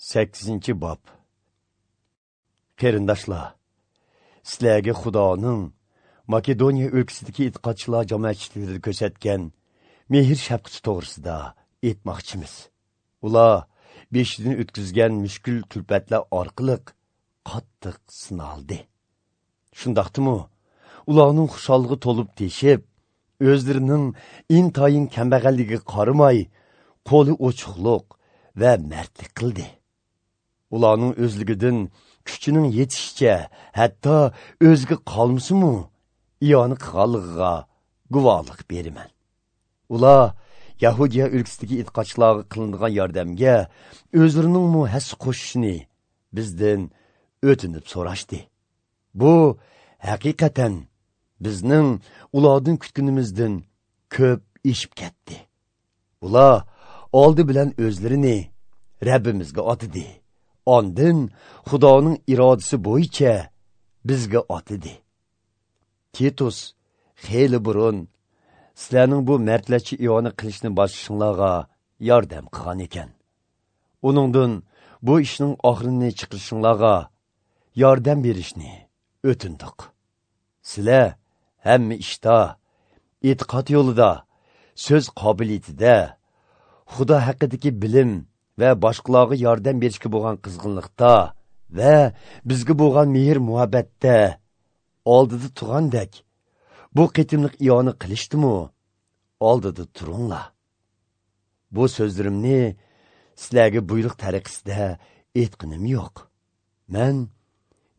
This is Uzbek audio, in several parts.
8-bob. Qarindoshlar, sizlarga Xudoning Makedoniya o'lkasidagi e'tiqodchilar jamoatchiligida ko'rsatgan mehr shafqati to'g'risida aytmoqchimiz. Ular beshidan o'tkazgan mushkul kulfatlar orqali qattiq sinaldi. Shundaqdimi, ularning xusholligi to'lib teshib, o'zlarining intayin kambag'alligiga qaramay, qo'li ochiqliq va mardlik qildi. Ularning o'zligidan kuchining yetishicha, hatto o'ziga qolmasimu iyoni qilganligiga guvohlik beraman. Ular Yahudiya o'lkasidagi e'tiqodchilarga qilingan yordamga o'zlarining hassa qo'shishini bizdan o'tinib so'rashdi. Bu haqiqatan bizning ulardan kutganimizdan ko'p eshib ketdi. Ular oldi bilan o'zlarini Rabbimizga otidi. Ondan Xudoning irodasi bo'yicha bizga otidi. Titus xeyli burun sizlarning bu mardlarcha iyoni qilishni boshlashinglarga yordam qilgan ekan. Uningdan bu ishning oxirini chiqarishinglarga yordam berishni o'tindik. Sizlar hamma ishda, e'tiqod yo'lida, so'z qobiliyatida, Xudo haqidagi bilim va boshqalarga yordam berishga bo'lgan qizg'inlikda va bizga bo'lgan mehr muhabbatda oldida turgandek bu qitimliq iyoni qilishdimi oldida turinglar. Bu so'zlarimni sizlarga buyruq tariqasida aytqinim yo'q. Men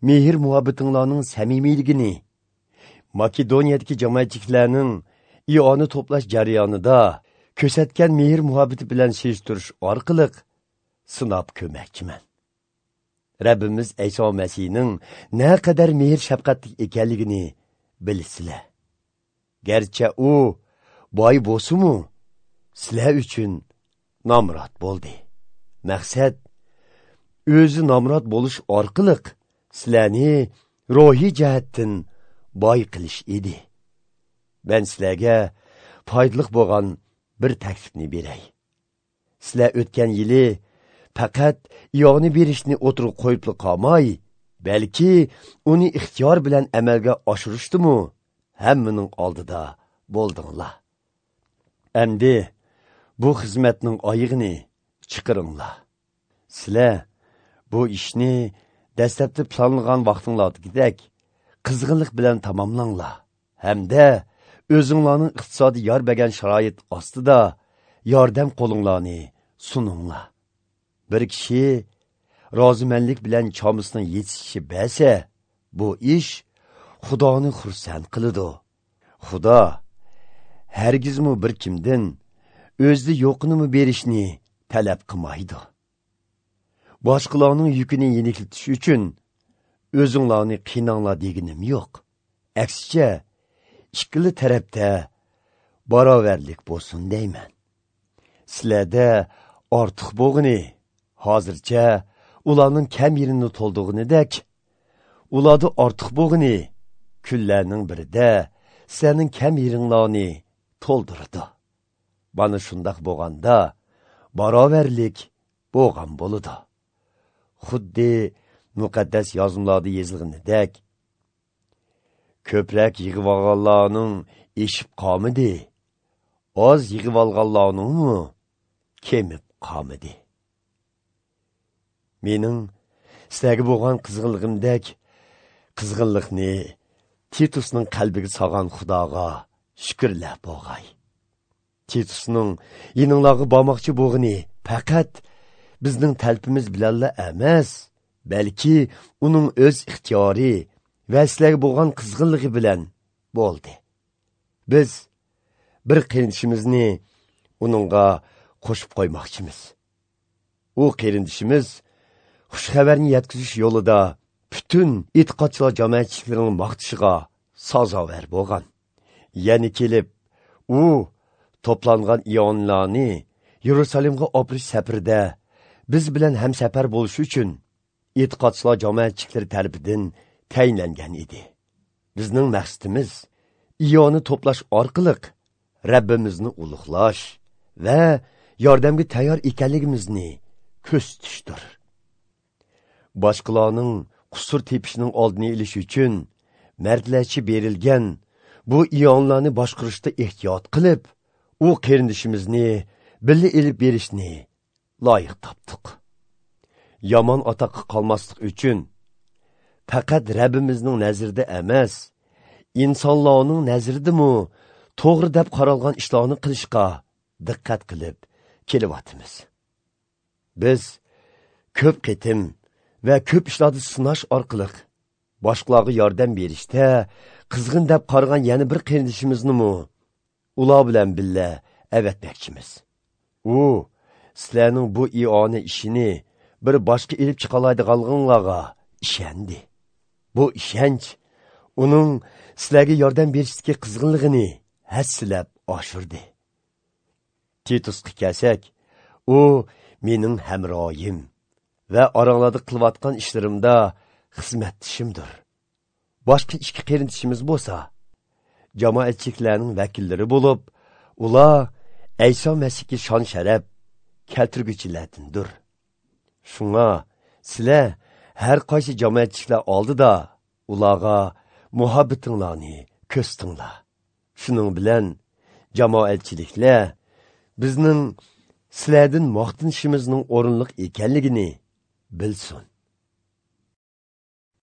mehr muhabbatinglarning samimiyligini Makedoniyadagi jamoatchiliklarning iyoni to'plash jarayonida ko'rsatgan mehr muhabbati bilan sezdirish orqali sinab ko'makchiman. Rabbimiz İso Masihning naqadar mehr shafqatli ekanligini bilasizlar. Garchi u boy bo'lsa-mu, sizlar uchun nomrod bo'ldi. Maqsad o'zi nomrod bo'lish orqali sizlarni ruhiy jihatdan boy qilish edi. Men sizlarga foydali bo'lgan bir taklifni beray. Sizlar o'tgan yili faqat iyoni berishni o'tirib qo'yib qolmay, balki uni ixtiyor bilan amalga oshirishdimi hammaning oldida bo'ldinglar. Endi bu xizmatning oyig'ini chiqiringlar. Sizlar bu ishni dastlabki planlagan vaqtinglardagidek qizg'inlik bilan tamomlanglar hamda o'zinglarning iqtisodiy yor bergan sharoit ostida yordam qo'linglarni suninglar. Bir kishi rozimanlik bilan chomisining yetishishi basa, bu ish Xudoni xursand qiladi. Xudo hargizmi bir kimdan o'zida yo'qini berishni talab qilmaydi. Boshqalarning yukini yeniklatish uchun o'zinglarni qiynanglar deganim yo'q. Aksicha, ikkili tarafda barobarlik bo'lsin deyman. Sizlarda ortiq bo'g'ini hozircha ularning kam yerini to'ldirganidek, ularda ortiq bo'g'ini kunlarning birida sizlarning kam yeringlarni to'ldirdi. Mana shundoq bo'lganda barobarlik bo'lgan bo'ladi. Xuddi muqaddas yozmalarda yozilganidek, ko'proq yig'ib olganlarning eshib qolmadi, oz yig'ib olganlarningmi kemib qolmadi. Mening sizlarga bo'lgan qizg'inligimdek qizg'inlikni Titusning qalbiga solgan Xudoga shukrlar bo'lg'ay. Titusning yininglarga bormoqchi bo'lg'ini faqat bizning talpimiz bilanla emas, balki uning o'z ixtiyori va sizlarga bo'lgan qizg'inligi bilan bo'ldi. Biz bir qarindishimizni uningga qo'shib qo'ymoqchimiz. U qarindishimiz xush xabarni yetkazish yo'lida butun e'tiqodchilar jamoatchiliklarining maqtashiga sazovor bo'lgan. Ya'ni kelib, u to'plangan iyonlarni Yerusalimga opirish safarida biz bilan hamsafar bo'lish uchun e'tiqodchilar jamoatchiliklari tarafidan tayinlangan edi. Bizning maqsadimiz iyoni to'plash orqali Rabbimizni ulug'lash va yordamga tayyor ekanligimizni ko'rsatishdir. Boshqalarning qusur tepishining oldini olish uchun mardlarcha berilgan bu iyonlarni boshqarishda ehtiyot qilib, u qarindishimizni birga ilib berishni loyiq topdik. Yomon otoqqa qolmaslik uchun faqat Rabbimizning nazarida emas, insonlarning nazaridami to'g'ri deb qaralgan ishlarni qilishga diqqat qilib kelyapmiz. Biz ko'p qitim va ko'p ishlarda sinash orqali boshqalarga yordam berishda qizg'in deb qaragan yana bir qarindishimizni ular bilan birga avatmoqchimiz. U sizlarning bu iona ishini bir boshqa ilib chiqalaydiganliginglarga ishondi. Bu ishonch uning sizlarga yordam berishdagi qizg'inligini hassilab oshirdi. Titusga kelsak, u mening hamroyim va oranglarda qilayotgan ishlarimda xizmatchimdir. Boshqa ikki qarindishimiz bo'lsa, jamoatchiliklarning vakillari bo'lib, ular Ayso Masihga shon sharaf keltirguchilardandir. Shunga sizlar har qaysi jamoatchiliklar oldida ularga muhabbatinglarni ko'rsatinglar. Shuning bilan jamoatchiliklar bizning sizlardan maqtanishimizning o'rinliq ekanligini bilsin.